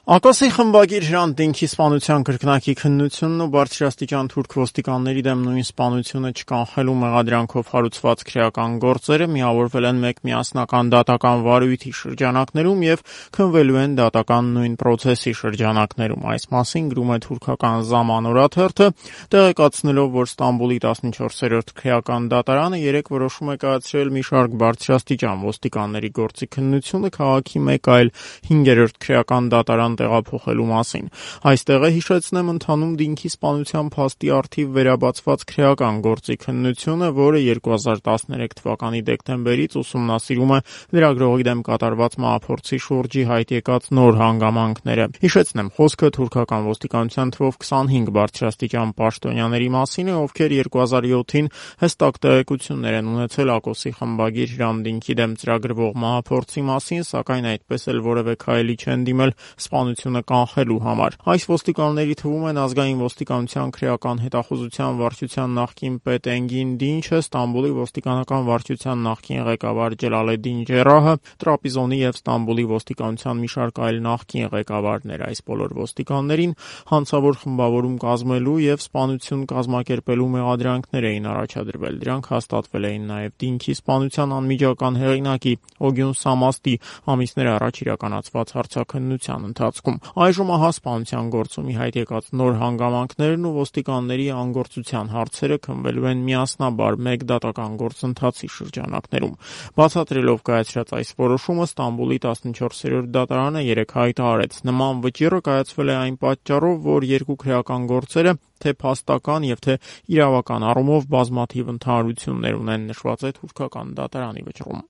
Ակոսի խմբագիր Հրանտ Դինքի սպանության կրկնակի քննությունն ու բարձրաստիճան թուրք ոստիկանների դեմ նույն սպանությունը չկանխելու մեղադրանքով հարուցված քրեական գործերը միավորվել են մեկ միասնական դատական վարույթի շրջանակներում եւ քննվելու են դատական նույն պրոցեսի շրջանակներում։ Այս մասին գրում է թուրքական Zaman օրաթերթը, տեղեկացնելով, որ Ստամբուլի 14-րդ քրեական դատարանը երեկ որոշում է կայացրել մի շարք բարձրաստիճան ոստիկանների գործի քննությունը քաղաքի մեկ այլ 5-րդ քրեական դատարան տեղափոխելու մասին։ Այստեղ է, հիշեցնեմ, ընթանում Դինքի սպանության փաստի առթիվ վերաբացված քրեական գործի քննությունը, որը 2013 թվականի դեկտեմբերից ուսումնասիրում է լրագրողի դեմ կատարված մահափորձի շուրջի հայտ եկած նոր հանգամանքները։ Հիշեցնեմ, խոսքը թուրքական ոստիկանության թվով 25 բարձրաստիճան պաշտոնյաների մասին է, ովքեր 2007-ին հստակ տեղեկություններ են ունեցել Ակոսի խմբագիր Հրանտ Դինքի դեմ ծրագրվող մահափորձի մասին, սակայն այդպես էլ որևէ քայլի չեն դիմել սպանությունը կանխելու համար։ Այս ոստիկանների թվում են ազգային ոստիկանության քրեական հետախուզության վարչության նախկին պետ Էնգին Դինչը, Ստամբուլի ոստիկանական վարչության նախկին ղեկավար Ջելալեդդին Ջերահը, Տրապիզոնի եւ Ստամբուլի ոստիկանության մի շարք այլ նախկին ղեկավարներ։ Այս բոլոր ոստիկաններին հանցավոր խմբավորում կազմելու եւ սպանություն կազմակերպելու մեղադրանքներ էին առաջադրվել։ Դրանք հաստատվել էին նաեւ Դինքի սպանության անմիջական հեղինակի Օգյուն Սամաստի ամիսներ առաջ իրականացված հարցաքննության ընթացքում։ Այժմ ահա սպանության գործում հայտ եկած նոր հանգամանքներն ու ոստիկանների անգործության հարցերը քննվելու են միասնաբար մեկ դատական գործընթացի շրջանակներում։ Բացատրելով կայացրած այս որոշումը Ստամբուլի 14-րդ դատարանը երեկ հայտարարեց. նման վճիռը կայացվել է այն պատճառով, որ երկու քրեական գործերը թե փաստական եւ թե իրավական առումով բազմաթիվ ընդհանրություններ ունեն, նշված է թուրքական դատարանի վճռում։